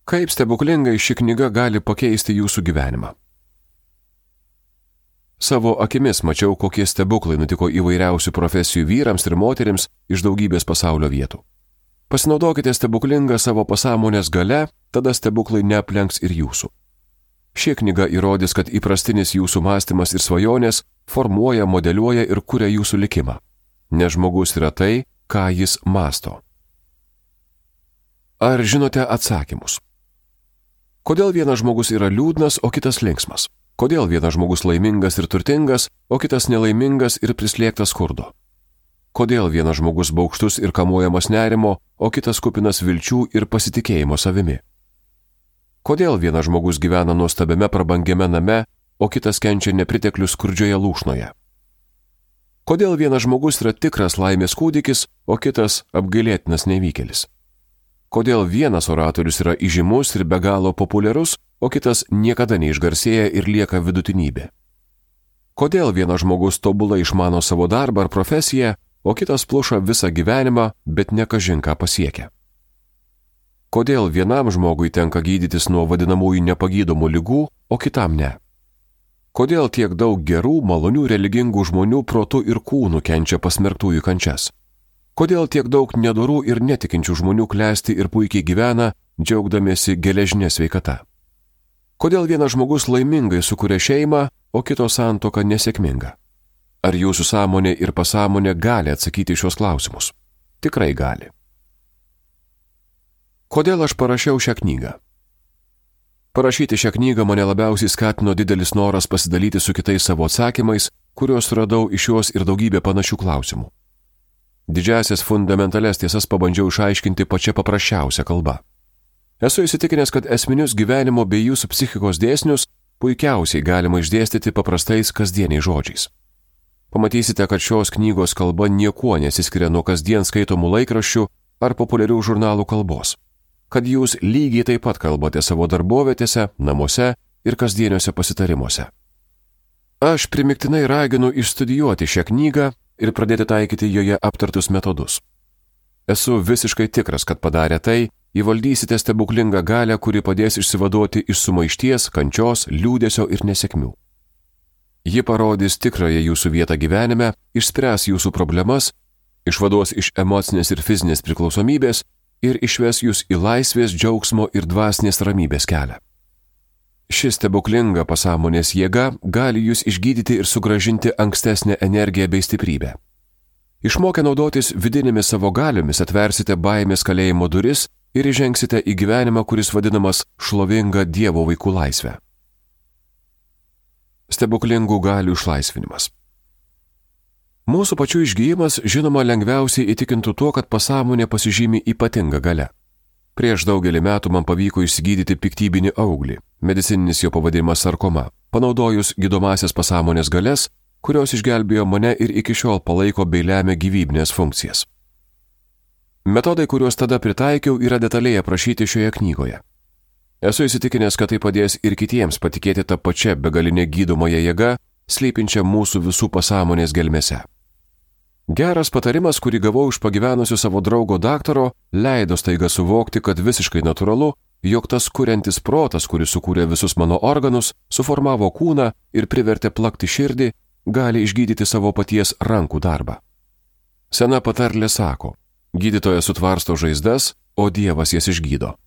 Kaip stebuklingai ši knyga gali pakeisti jūsų gyvenimą? Savo akimis mačiau, kokie stebuklai nutiko įvairiausių profesijų vyrams ir moterims iš daugybės pasaulio vietų. Pasinaudokite stebuklingą savo pasąmonės gale, tada stebuklai neaplenks ir jūsų. Ši knyga įrodys, kad įprastinis jūsų mąstymas ir svajonės formuoja, modeliuoja ir kuria jūsų likimą. Nes žmogus yra tai, ką jis mąsto. Ar žinote atsakymus? Kodėl vienas žmogus yra liūdnas, o kitas linksmas? Kodėl vienas žmogus laimingas ir turtingas, o kitas nelaimingas ir prislėgtas skurdo? Kodėl vienas žmogus baugštus ir kamuojamas nerimo, o kitas kupinas vilčių ir pasitikėjimo savimi? Kodėl vienas žmogus gyvena nuostabiame prabangiame name, o kitas kenčia nepriteklių skurdžioje lūšnoje? Kodėl vienas žmogus yra tikras laimės kūdikis, o kitas apgailėtinas nevykėlis? Kodėl vienas oratorius yra įžymus ir be galo populiarus, o kitas niekada neišgarsėja ir lieka vidutinybė? Kodėl vienas žmogus tobulai išmano savo darbą ar profesiją, o kitas pluša visą gyvenimą, bet ne kažin ką pasiekia? Kodėl vienam žmogui tenka gydytis nuo vadinamųjų nepagydomų ligų, o kitam ne? Kodėl tiek daug gerų, malonių, religingų žmonių protu ir kūnu kenčia pasmerktųjų kančias? Kodėl tiek daug nedorų ir netikinčių žmonių klesti ir puikiai gyvena, džiaugdamiesi geležinė sveikata? Kodėl vienas žmogus laimingai sukuria šeimą, o kito santuoka nesėkminga? Ar jūsų sąmonė ir pasąmonė gali atsakyti šios klausimus? Tikrai gali. Kodėl aš parašiau šią knygą? Parašyti šią knygą mane labiausiai skatino didelis noras pasidalyti su kitais savo atsakymais, kuriuos radau iš jos ir daugybė panašių klausimų. Didžiasias fundamentales tiesas pabandžiau išaiškinti pačia paprasčiausia kalba. Esu įsitikinęs, kad esminius gyvenimo bei jūsų psichikos dėsnius puikiausiai galima išdėstyti paprastais kasdieniais žodžiais. Pamatysite, kad šios knygos kalba niekuo nesiskiria nuo kasdien skaitomų laikraščių ar populiarių žurnalų kalbos. Kad jūs lygiai taip pat kalbate savo darbovietėse, namuose ir kasdieniuose pasitarimuose. Aš primiktinai raginu išstudijuoti šią knygą ir pradėti taikyti joje aptartus metodus. Esu visiškai tikras, kad padarę tai, įvaldysite stebuklingą galią, kuri padės išsivaduoti iš sumaišties, kančios, liūdesio ir nesėkmių. Ji parodys tikrąją jūsų vietą gyvenime, išspręs jūsų problemas, išvaduos iš emocinės ir fizinės priklausomybės ir išves jūs į laisvės, džiaugsmo ir dvasinės ramybės kelią. Ši stebuklinga pasąmonės jėga gali jūs išgydyti ir sugrąžinti ankstesnę energiją bei stiprybę. Išmokę naudotis vidinėmis savo galiomis atversite baimės kalėjimo duris ir įžengsite į gyvenimą, kuris vadinamas šlovinga Dievo vaikų laisvė. Stebuklingų galių išlaisvinimas. Mūsų pačių išgyjimas, žinoma, lengviausiai įtikintų tuo, kad pasąmonė pasižymi ypatinga galia. Prieš daugelį metų man pavyko išsigydyti piktybinį auglį, medicininis jo pavadinimas sarkoma, panaudojus gydomasias pasąmonės galias, kurios išgelbėjo mane ir iki šiol palaiko bei lemia gyvybinės funkcijas. Metodai, kuriuos tada pritaikiau, yra detaliai aprašyti šioje knygoje. Esu įsitikinęs, kad tai padės ir kitiems patikėti tą pačią begalinę gydomąją jėgą, slypinčią mūsų visų pasąmonės gelmėse. Geras patarimas, kurį gavau iš pagyvenusio savo draugo daktaro, leido staiga suvokti, kad visiškai natūralu, jog tas kuriantis protas, kuris sukūrė visus mano organus, suformavo kūną ir privertė plakti širdį, gali išgydyti savo paties rankų darbą. Sena patarlė sako, gydytojas sutvarsto žaizdas, o Dievas jas išgydo.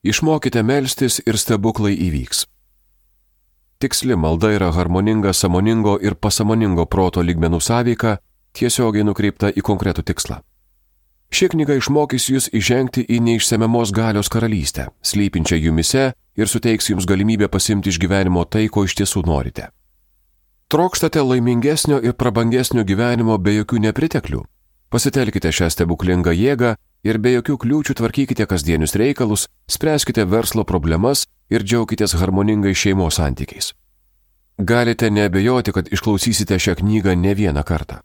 Išmokite melstis ir stebuklai įvyks. Tiksli malda yra harmoninga sąmoningo ir pasąmoningo proto lygmenų sąveika, tiesiogiai nukreipta į konkretų tikslą. Ši knyga išmokys jūs įžengti į neišsemiamos galios karalystę, slypinčią jumise ir suteiks jums galimybę pasimti iš gyvenimo tai, ko iš tiesų norite. Trokštate laimingesnio ir prabangesnio gyvenimo be jokių nepriteklių? Pasitelkite šią stebuklingą jėgą ir be jokių kliūčių tvarkykite kasdienius reikalus, spręskite verslo problemas ir džiaukitės harmoningais šeimos santykiais. Galite neabejoti, kad išklausysite šią knygą ne vieną kartą.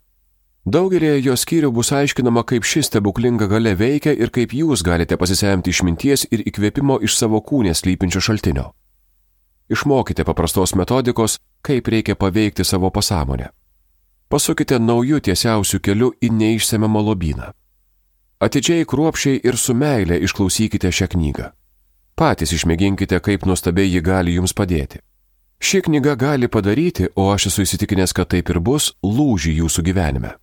Daugelėje jos skyrių bus aiškinama, kaip ši stebuklinga galia veikia ir kaip jūs galite pasisemti išminties ir įkvėpimo iš savo kūne slypinčio šaltinio. Išmokite paprastos metodikos, kaip reikia paveikti savo pasąmonę. Pasukite naujų tiesiausių kelių į neišsemiamą lobyną. Atidžiai, kruopščiai ir su meile išklausykite šią knygą. Patys išmėginkite, kaip nuostabiai ji gali jums padėti. Ši knyga gali padaryti, o aš esu įsitikinęs, kad taip ir bus, lūžį jūsų gyvenime.